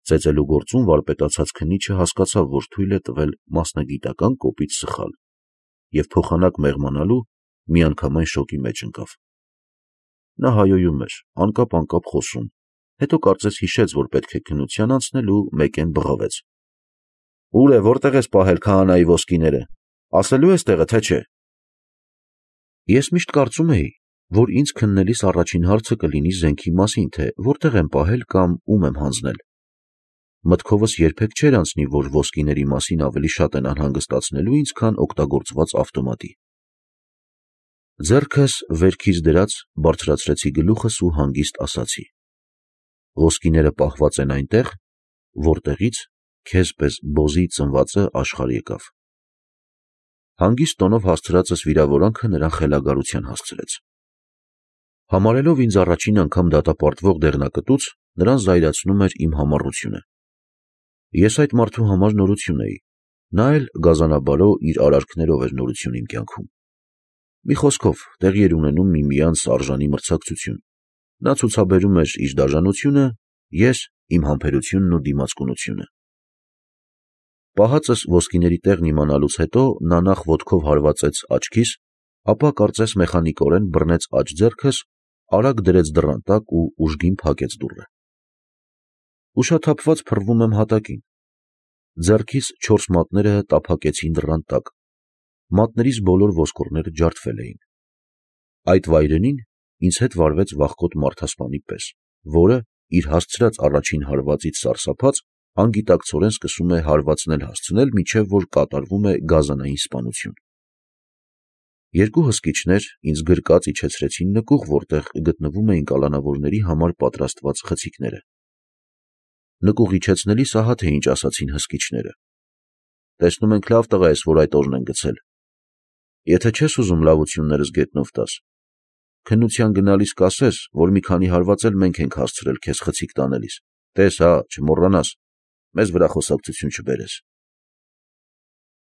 Ծեծելու գործում վարպետացած քննիչը հասկացավ, որ թույլ է տվել մասնագիտական կոպիտ սխալ, և փոխանակ մեղմանալու միանգամայն շոկի մեջ ընկավ։ Նա հայոյում էր, անկապ խոսում, հետո կարծես հիշեց, որ պետք է քննության անցնել ու մեկեն բղավեց. «Ուր է, որտեղ ես պահել քահանայի ոսկիները, ասելու ես տեղը, թե չէ»։ Ես միշտ կարծում էի, որ ինձ քննելիս առաջին հարցը կլինի զենքի մասին, թե որտեղ եմ պահել կամ ում եմ հանձնել։ Մտքովս երբեք չէր անցնի, որ ոսկիների մասին ավելի շատ են անհանգստացնելու ինձ, քան օգտագործված ավտոմատի։ Ձեռքս վերքից դրած բարձրացրեցի գլուխս ու հանգիստ ասացի. «Ոսկիները պահված են այնտեղ, որտեղից քեզ պես բոզի ծնվածը աշխարհ եկավ»։ Հանգիստ տոնով հասցրածս վիրավորանքը նրան խելագարության հասցրեց։ Համարելով ինձ առաջին անգամ դատապարտվող դեղնակտուց, նրան զայրացնում էր իմ համառությունը։ Ես այդ մարդու համար նորություն էի, նա էլ գազանաբարո իր արարքներով էր նորություն իմ կյանքում։ Մի խոսքով, տեղի էր ունենում միմյանց արժանի մրցակցություն։ Նա ցուցաբերում էր իր դաժանությունը, ես իմ համբերությունն ու դիմացկունությունը։ Պահածս ոսկիների տեղն իմանալուց հետո նա նախ ոտքով հարվածեց աչքիս, ապա կարծես մեխանիկորեն բռնեց աջ ձեռքս, արագ դրեց դռան տակ ու ուժգին փակեց դուռը։ Ուշաթափված փռվում եմ հատակին։ Ձեռքիս 4 մատները տափակեցին դռան տակ։ Մատներիս բոլոր ոսկորները ջարդվել էին։ Այդ վայրենին ինձ հետ վարվեց վախկոտ մարդասպանի պես, որը, իր հասցրած առաջին հարվածից սարսափած, անգիտակցորեն սկսում է հարվածներ հասցնել, մինչև որ կատարվում է գազանային սպանություն։ Երկու հսկիչներ ինձ գրկած իջեցրեցին նկուղ, որտեղ գտնվում էին կալանավորների համար պատրաստված խցիկները։ Նկուղ իջեցնելիս ահա թե ինչ ասացին հսկիչները. «Տեսնում ենք լավ տղա ես, որ այդ օրն են գցել։ Եթե չես ուզում լավություններս գետնով տաս, քննության գնալիս կասես, որ մի քանի հարված էլ մենք ենք հասցրել քեզ խցիկ տանելիս, տես հա, չմոռանաս, մեզ վրա խոսակցություն չբերես»։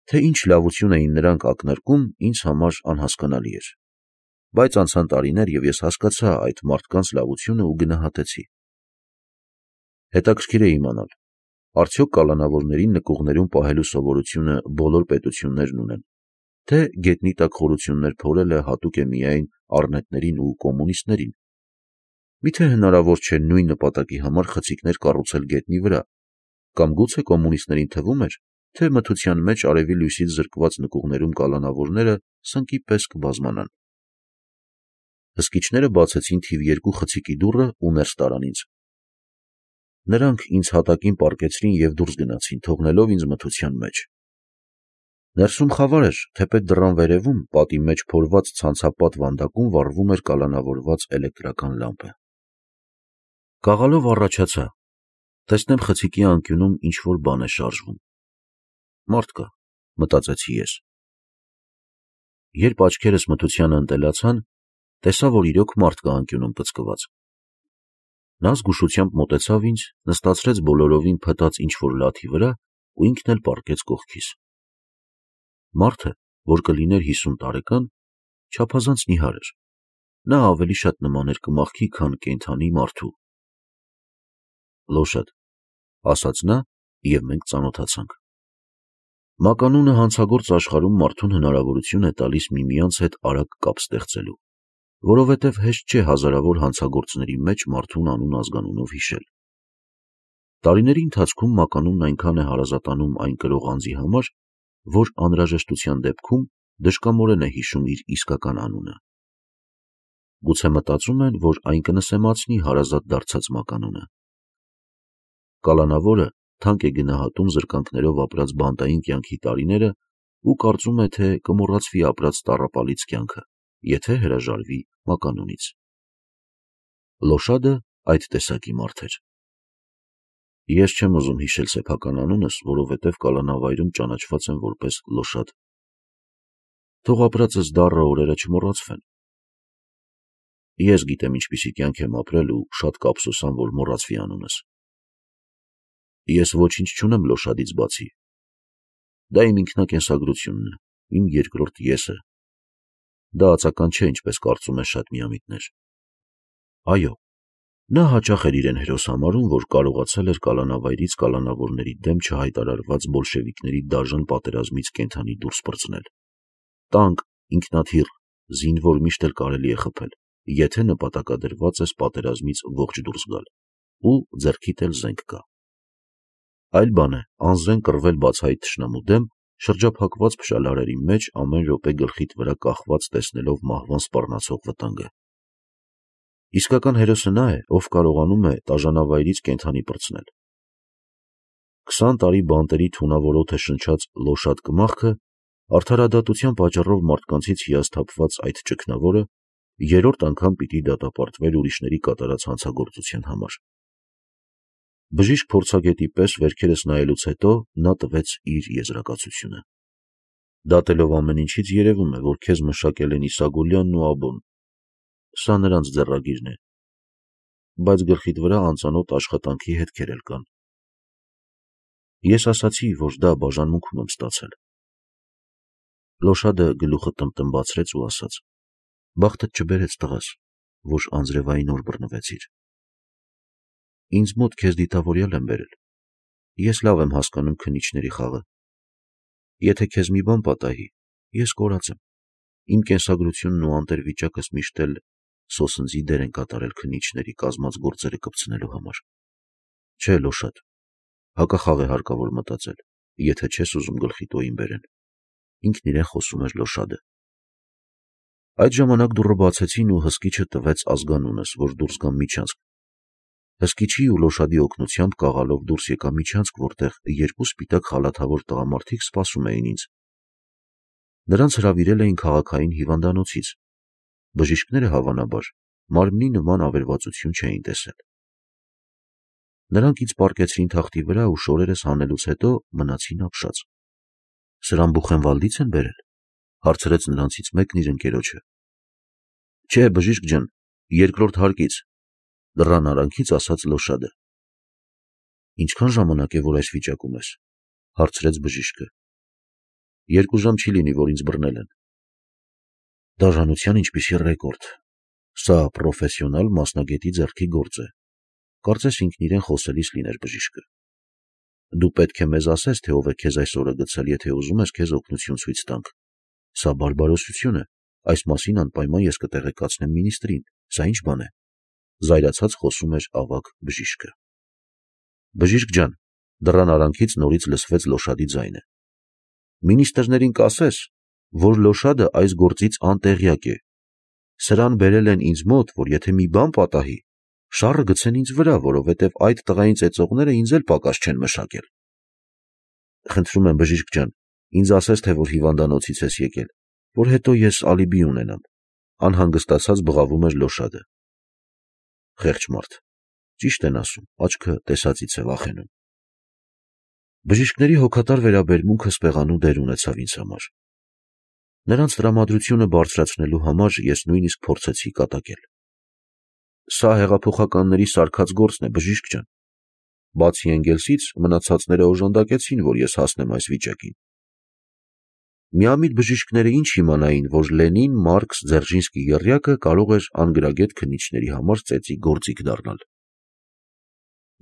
Թե ինչ լավություն էին նրանք ակնարկում, ինձ համար անհասկանալի էր, բայց անցան տարիներ, և ես հասկացա այդ մարդկանց լավությունը ու գնահատեցի։ Հետաքրքիր է իմանալ, արդյոք կալանավորներին նկուղներում պահելու սովորությունը բոլոր պետություններն ունեն, թե գետնի տակ խորություններ փորելը հատուկ է միայն առնետներին ու կոմունիստներին։ Միթե հնարավոր չէ նույն նպատակի համար խցիկներ կառուցել գետնի վրա, կամ գուցե կոմունիստներին թվում էր, թե մթության մեջ արևի լույսից զրկված նկուղներում կալանավորները սնկի պես կբազմանան։ Հսկիչները բացեցին թիվ 2 խցիկի դուռը ու ներս տարան ինձ։ Նրանք ինձ հատակին պառկեցրին և դուրս գնացին, թողնելով ինձ մթության մեջ։ Ներսում խավար էր, թեպետ դռան վերևում, պատի մեջ փորված ցանցապատ վանդակում վառվում էր կալանավորված էլեկտրական լամպը։ Կաղալով առաջացա, տեսնեմ խցիկի անկյունում ինչ-որ բան է շարժվում։ Մարդ կա, մտածեցի ես։ Երբ աչքերս մթությանը ընտելացան, տեսա, որ իրոք մարդ կա անկյունում պծկված։ Նա զգուշությամբ մոտեցավ ինձ, նստացրեց բոլորովին փտած ինչ-որ լաթի վրա ու ինքն էլ պառկեց կողքիս։ Մարդը, որ կլիներ 50 տարեկան, չափազանց նիհար էր։ Նա ավելի շատ նման էր կմախքի, քան կենդանի մարդու։ «Լոշադ», ասաց նա, և մենք ծանոթացանք։ Մականունը հանցագործ աշխարհում մարդուն հնարավորություն է տալիս միմյանց հետ արագ կապ ստեղծելու, որովհետև հեշտ չէ հազարավոր հանցագործների մեջ մարդուն անուն-ազգանունով հիշել։ Տարիների ընթացքում մականունն այնքան է հարազատանում այն կրող անձի համար, որ անհրաժեշտության դեպքում դժկամորեն է հիշում իր իսկական անունը։ Գուցե մտածում են, որ այն կնսեմացնի հարազատ դարձած մականունը։ Կալանավորը թանկ է գնահատում զրկանքներով ապրած բանտային կյանքի տարիները ու կարծում է, թե կմոռացվի ապրած տառապալից կյանքը, եթե հրաժարվի մականունից։ Լոշադը այդ տեսակի մարդ էր։ Ես չեմ ուզում հիշել սեփական անունս, որովհետև կալանավայրում ճանաչված եմ որպես Լոշադ։ Թող ապրածս դառը օրերը չմոռացվեն։ Ես գիտեմ ինչպիսի կյանք եմ ապրել ու շատ կափսոսամ, որ մոռացվի անունս։ Ես ոչինչ չունեմ Լոշադից բացի։ Դա իմ ինքնակենսագրությունն է, իմ երկրորդ եսը։ Դա ածական չէ, ինչպես կարծում են շատ միամիտներ։ Այո, Նա հաճախ էր իրեն հերոս համարում, որ կարողացել էր կալանավայրից կալանավորների դեմ չհայտարարված բոլշևիկների դաժան պատերազմից կենդանի դուրս պրծնել։ Տանկ, ինքնաթիռ, զինվոր միշտ էլ կարելի է խփել, եթե նպատակադրված ես պատերազմից ողջ դուրս գալ, ու ձեռքիդ էլ զենք կա։ Այլ բան է անզեն կռվել բացահայտ թշնամու դեմ, շրջափակված փշալարերի մեջ ամեն րոպե գլխիդ վրա կախված տեսնելով մահվան սպառնացող վտանգը։ Իսկական հերոսը նա է, ով կարողանում է տաժանավայրից կենդանի պրծնել։ 20 տարի բանտերի թունավորոթ է շնչած լոշատ կմախքը, արդարադատության պատճառով մարդկանցից հիասթափված այդ ճգնավորը երրորդ անգամ պիտի դատապարտվեր ուրիշների կատարած հանցագործության համար։ Բժիշկ փորձագետի պես վերքերս նայելուց հետո նա տվեց իր եզրակացությունը։ Դատելով ամեն ինչից երևում է, որ քեզ մշակել են Իսագուլյանն ու Աբոն։ Սա նրանց ձեռագիրն է, բայց գլխիդ վրա անծանոթ աշխատանքի հետքեր էլ կան։ Ես ասացի, որ դա բաժանմունքում եմ ստացել։ Լոշադը գլուխը տնտմբացրեց ու ասաց. բախտդ չբերեց տղաս, որ անձրևային օր բռնվեցիր։ Ինձ մոտ քեզ դիտավորյալ եմ բերել։ Ես լավ եմ հասկանում քննիչների խաղը։ Եթե քեզ մի բան պատահի, ես կորած եմ։ Իմ կենսագրությունն ու անտերվիճակս միշտ էլ սոսնձի դեր են կատարել քննիչների կազմած գործերը կպցնելու համար։ Չէ, Լոշադ, հակախաղ է հարկավոր մտածել, եթե չես ուզում գլխի տոյին բերեն։ Ինքն իրեն խոսում էր Լոշադը։ Այդ ժամանակ դուռը բացեցին ու հսկիչը տվեց ազգանունս, որ դուրս գամ միջանցք։ Հսկիչի ու Լոշադի օգնությամբ կաղալով դուրս եկա միջանցք, որտեղ երկու սպիտակ խալաթավոր տղամարդիկ սպասում էին ինձ։ Նրանց հրավիրել էին քաղաքային հիվանդանոցից։ Բժիշկները հավանաբար մարմնի նման ավերվածություն չէին տեսել։ Նրանք ինձ պառկեցրին թախտի վրա ու շորերս հանելուց հետո մնացին ապշած։ Սրան Բուխենվալդից են բերել, հարցրեց նրանցից մեկն իր ընկերոջը։ Չէ, բժիշկ ջան, երկրորդ հարկից, դռան արանքից ասաց Լոշադը։ Ինչքան ժամանակ է, որ այս վիճակում ես, հարցրեց բժիշկը։ 2 ժամ չի լինի, որ ինձ բռնել են։ Դաժանության ինչպիսի ռեկորդ։ Սա պրոֆեսիոնալ մասնագետի ձեռքի գործ է։ Կարծես ինքն իրեն խոսելիս լիներ բժիշկը։ Դու պետք է մեզ ասես, թե ով է քեզ այս օրը գցել, եթե ուզում ես քեզ օգնություն ցույց տանք։ Սա բարբարոսություն է, այս մասին անպայման ես կտեղեկացնեմ մինիստրին, սա ինչ բան է։ Զայրացած խոսում էր ավագ բժիշկը։ Բժիշկ ջան, դռան արանքից նորից լսվեց Լոշադի ձայնը։ Մինիստրներին կասես, որ Լոշադը այս գործից անտեղյակ է։ Սրան բերել են ինձ մոտ, որ եթե մի բան պատահի, շառը գցեն ինձ վրա, որովհետև այդ տղային ծեծողները ինձ էլ պակաս չեն մշակել։ Խնդրում եմ բժիշկ ջան, ինձ ասես, թե որ հիվանդանոցից ես եկել, որ հետո ես ալիբի ունենամ։ Անհանգստացած բղավում էր Լոշադը։ Խեղճ մարդ, ճիշտ են ասում, աչքը տեսածից է վախենում։ Բժիշկների հոգատար վերաբերմունքը սպեղանու դեր ունեցավ ինձ համար։ Նրանց տրամադրությունը բարձրացնելու համար ես նույնիսկ փորձեցի կատակել։ Սա հեղափոխականների սարքած գործն է, բժիշկ ջան։ Բացի Էնգելսից մնացածները օժանդակեցին, որ ես հասնեմ այս վիճակին։ Միամիտ բժիշկները ինչ իմանային, որ Լենին, Մարքս, Ձերժինսկի եռյակը կարող էր անգրագետ քննիչների համար ծեծի գործիք դառնալ։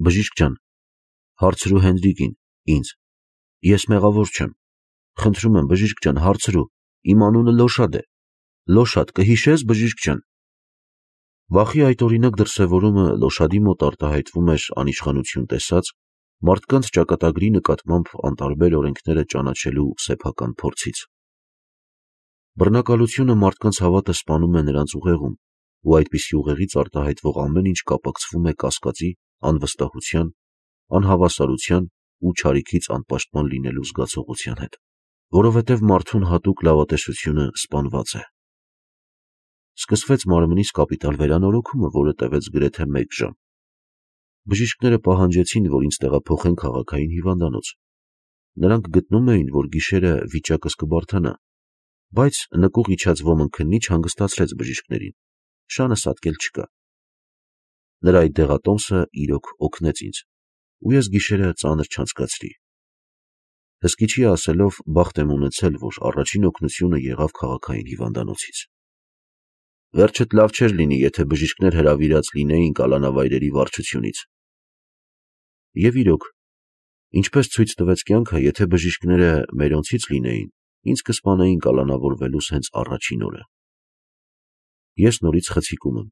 Բժիշկ ջան, հարցրու Հենրիկին, ինձ։ Ես մեղավոր չեմ։ Խնդրում եմ, բժիշկ ջան, հարցրու։ Իմ անունը Լոշադ է։ Լոշադ, կհիշես, բժիշկ ջան։ Վախի այդ օրինակ դրսևորումը Լոշադի մոտ արտահայտվում էր անիշխանություն տեսած, մարդկանց ճակատագրի նկատմամբ անտարբեր օրենքները ճանաչելու սեփական փորձից։ Բռնակալությունը մարդկանց հավատը սպանում է նրանց ուղեղում, ու այդպիսի ուղեղից արտահայտվող ամեն ինչ կապակցվում է կասկածի, անվստահության, անհավասարության ու չարիքից անպաշտպան լինելու զգացողության հետ, որովհետև մարդուն հատուկ լավատեսությունը սպանված է։ Սկսվեց մարմնից կապիտալ վերանորոգումը, որը տևեց գրեթե 1 ժամ։ Բժիշկները պահանջեցին, որ ինձ տեղափոխեն քաղաքային հիվանդանոց։ Նրանք գտնում էին, որ գիշերը վիճակս կբարդանա, բայց նկուղ իջած ոմն քննիչ հանգստացրեց բժիշկներին։ Շանը սատկել չկա։ Նրա այդ դեղատոմսը իրոք օգնեց ինձ, ու ես գիշերը ծանր չանցկացրի։ Հսկիչի ասելով, բախտ եմ ունեցել, որ առաջին օգնությունը եղավ քաղաքային հիվանդանոցից։ Վերջդ լավ չէր լինի, եթե բժիշկներ հրավիրած լինեին կալանավայրերի վարչությունից։ Եվ իրոք, ինչպես ցույց տվեց կյանքը, եթե բժիշկները մերոնցից լինեին, ինձ կսպանեին կալանավորվելուս հենց առաջին օրը։ Ես նորից խցիկում եմ։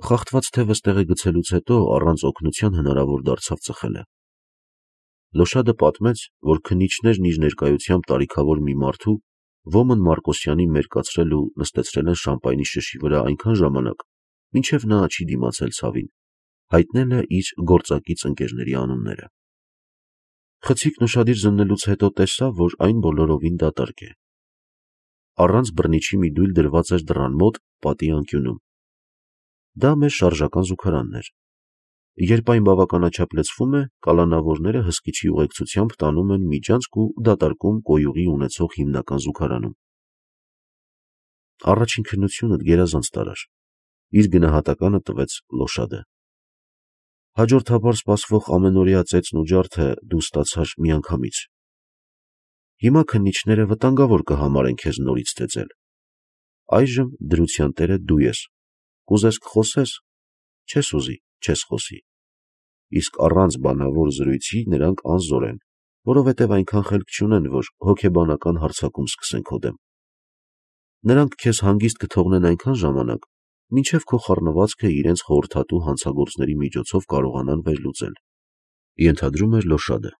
Խախտված թևս տեղը գցելուց հետո առանց օգնության հնարավոր դարձավ ծխելը։ Լոշադը պատմեց, որ քննիչներն իր ներկայությամբ տարիքավոր մի մարդու Ոմն Մարկոսյանին մերկացրել ու նստեցրել են շամպայնի շշի վրա այնքան ժամանակ, մինչև նա չի դիմացել ցավին, հայտնել է իր գործակից ընկերների անունները։ Խցիկն ուշադիր զննելուց հետո տեսավ, որ այն բոլորովին դատարկ է։ Առանց բռնիչի մի դույլ դրված էր դռան մոտ պատի անկյունում։ Դա մեր շարժական զուգարանն էր։ Երբ այն բավականաչափ լցվում է, կալանավորները հսկիչի ուղեկցությամբ տանում են միջանցք ու դատարկում կոյուղի ունեցող հիմնական զուգարանում։ Առաջին քննությունդ գերազանց տարար։ Իր գնահատականը տվեց Լոշադը։ Հաջորդաբար սպասվող ամենօրյա ծեծն ու ջարդը դու ստացար միանգամից։ Հիմա քննիչները վտանգավոր կհամարեն քեզ նորից ծեծել։ Այժմ դրության տերը դու ես։ Կուզես կխոսես, չես ուզի, չես խոսի։ Իսկ առանց բանավոր զրույցի նրանք անզոր են, որովհետև այնքան խելք չունեն, որ հոգեբանական հարձակում սկսեն քո դեմ։ Նրանք քեզ հանգիստ կթողնեն այնքան ժամանակ, մինչև քո խառնվածքը իրենց խորհրդատու հանցագործների միջոցով կարողանան վերլուծել։ Ենթադրում էր Լոշադը։